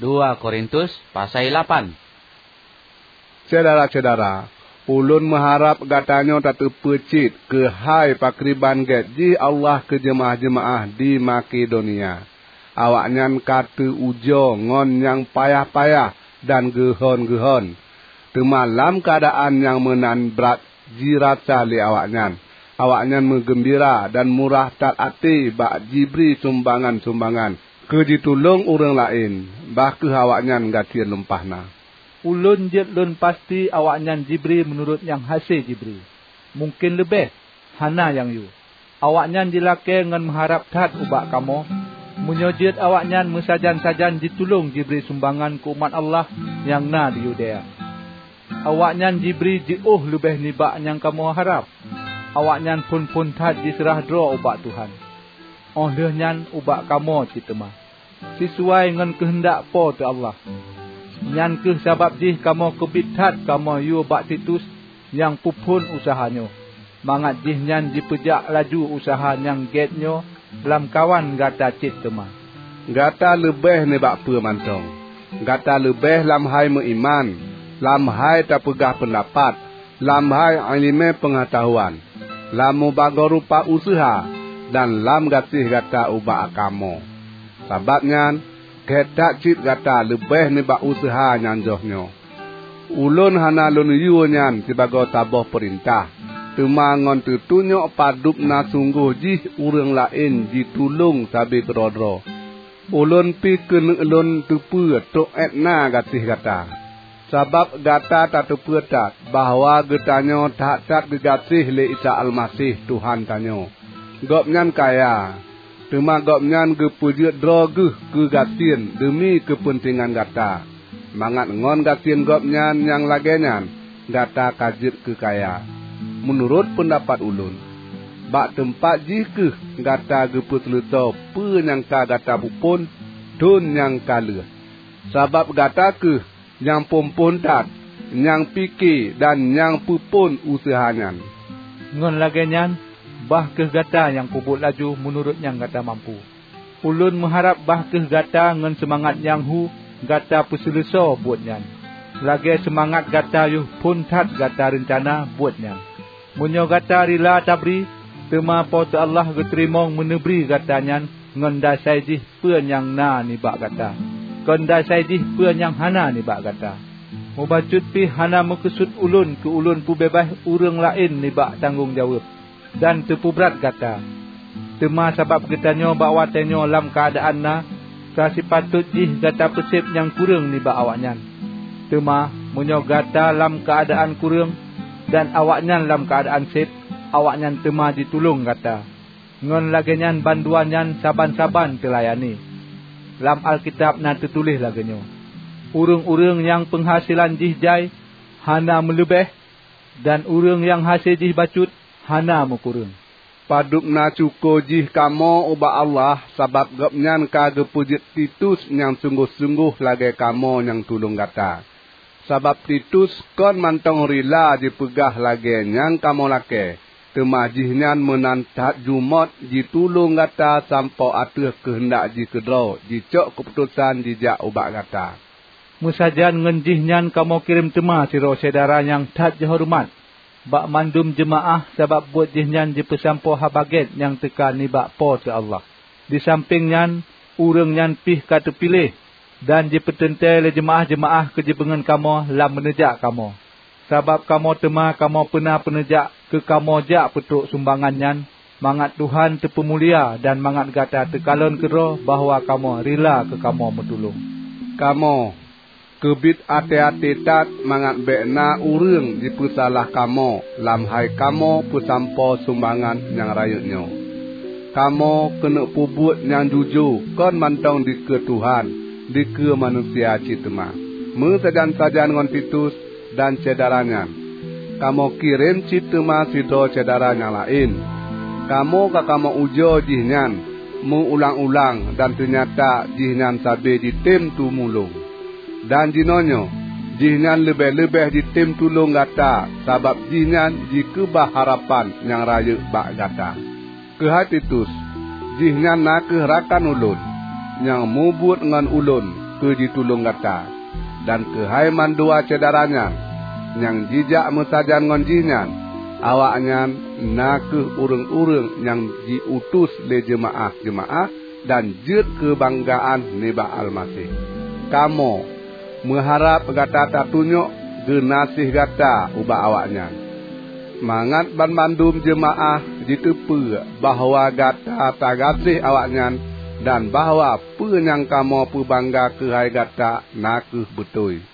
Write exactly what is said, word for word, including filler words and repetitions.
Dua Korintus pasai lapan. Syedara-syedara, ulôn meuharab gatanyoe tateupeue cit keuhai pakriban gét jih Allah keu jeumaáh-jeumaáh di Makedonia. Awaknyan ka teu-ujoe ngon nyang payah-payah dan geuhon-geuhon. Teuma lam keuadaan nyang meunan brat jirasa lé awaknyan, awaknyan meugeumbira dan murah that até bak jibri sumbangan-sumbangan keu jitulông ureuëng laén, bah kheueh awaknyan gasien lumpah na. Ulôn jeuet lôn pasti awaknyan jibri meunurot nyang hase jibri, mungken leubeh, hana nyang yue. Awaknyan jilakée ngon meuharab that ubak kamoe, meunyoe jeuet awaknyan meusajan-sajan jitulông jibri sumbangan keu umat Allah nyang na di Yudea. Awaknyan jibri jiôh leubeh nibak nyang kamoe harab. Awaknyan phon-phon that jiseurah droe ubak Tuhan, óh lheueh nyan ubak kamoe cit teuma, sisuai ngon keuheundak Po teu Allah. Nyan kheueh sabab jih kamoe keubiet that kamoe yue bak Titus nyang peuphon useuha nyoe, mangat jihnyan jipeujak laju useuha nyang gét nyoe lamkawan gata cit teuma. Gata leubeh nibak peue mantong. Gata leubeh lam hai meuiman, lam hai tapeugah peundapat, lam hai iéleumé peungeutahuan, lam mubagoe rupa useuha, dan lam gaséh gata ubak kamoe. Sabab nyan, gét that cit gata leubeh nibak useuha nyang jroh nyoe. Ulôn hana lôn yue nyan sibagoe saboh peurintah, teuma ngon teutunyok padub na sunggoh jih ureuëng laén jitulông sabe keudroe-droe. Ulôn pih keuneuk lôn teupeue trok ék na gaséh gata, sabab gata tateupeue that bahwa geutanyoe that-that geugaséh lé Isa Almaseh Tuhan tanyoe. Gobnyan kaya, teuma Gobnyan geupeujeuet droe Geuh keu gasien deumi keupeuntengan gata, mangat ngon gasien Gobnyan nyang lagée nyan gata ka jeuet keu kaya. Meunurot peundapat ulôn, bak teumpat jih kheueh gata geupeuseuleusoe peue nyang ka gata peuphon thon nyang ka lheueh, sabab gata kheueh nyang phon-phon that, nyang pike dan nyang peuphon useuha nyan. Ngon lagée nyan, bah kheueh gata nyang peubuet laju meunurot nyang gata mampu. Ulôn meuharab bah kheueh gata ngon seumangat nyang hu gata peuseuleusoe buet nyan, lagée seumangat gata yoh phon that gata reuncana buet nyan. Meunyoe gata rila tabri, teuma Po teu Allah geuteurimong meuneubri gata nyan ngon dasai jih peue nyang na nibak gata, kon dasai jih peue nyang hana nibak gata. Mubacut pih hana meukeusut ulôn keu ulôn peubeubaih ureuëng laén nibak tanggong jaweueb dan teupeubrat gata. Teuma sabab geutanyoe bak watée nyoe lam keuadaan na, ka sipatot jih gata peuséb nyang kureueng nibak awaknyan. Teuma meunyoe gata lam keuadaan kureueng dan awaknyan lam keuadaan séb, awaknyan teuma jitulông gata. Ngon lagée nyan bandua nyan saban-saban teulayani. Lam Alkitab na teutuléh lagée nyoe, "Ureuëng-ureuëng nyang peunghasilan jih jai hana meuleubeh, dan ureuëng nyang hase jih bacut hana meukureueng." Padub na syukoe jih kamoe ubak Allah sabab Gobnyan ka geupeujeuet Titus nyang sunggoh-sunggoh lagée kamoe nyang tulông gata. Sabab Titus kon mantong rila jipeugah lagée nyang kamoe lakée, teuma jihnyan meunan that jumôt jitulông gata sampoe ateueh keuheundak jih keudroe jicok keuputosan jijak ubak gata. Meusajan ngon jihnyan kamoe kirém teuma sidroe syedara nyang that jihoreumat bak mandum jeumaáh sabab buet jihnyan jipeusampoe Haba Gét nyang teuka nibak Po teu Allah. Disampéng nyan, ureuëng nyan pih ka teupiléh dan jipeuteuntée lé jeumaáh-jeumaáh keu jibeungon kamoe lam meuneujak kamoe. Sabab kamoe teuma kamoe peuna peuneujak keu kamoe jak peutrok sumbangan nyan, mangat Tuhan teupeumulia dan mangat gata teukalon keudroe bahwa kamoe rila keu kamoe meutulông. Kamoe keubiet até-até that mangat bék na ureuëng jipeusalah kamoe lam hai kamoe peusampoe sumbangan nyang rayeuk nyoe. Kamoe keuneuk peubuet nyang jujoe kon mantong dikeue Tuhan, dikeue manusia cit teuma. Meusajan-sajan ngon Titus dan syedara nyan, kamoe kirém cit teuma sidroe syedara nyang laén. Kamoe ka kamoe ujoe jihnyan meuulang-ulang dan teunyata jihnyan sabe jitem tumulông. Dan jinoenyoe, jihnyan leubeh-leubeh jitem tulông gata sabab jihnyan jikeubah harapan nyang rayeuk bak gata. Keuhai Titus, jihnyan na kheueh rakan ulôn, nyang mubuet ngon ulôn. keu jitulông gata. Dan keuhai mandua syedara nyan, nyang jijak meusajan ngon jih nyan, awaknyan na kheueh ureuëng-ureuëng nyang jiutus lé jeumaáh-jeumaáh dan jeuet keubanggaan nibak Almaseh. Kamoe meuharab gata tatunyok geunaséh gata ubak awaknyan, mangat banmandum jeumaáh jiteupeu bahwa gata tagaséh awaknyan dan bahwa peue nyang kamoe peubangga keuhai gata na kheueh beutôi.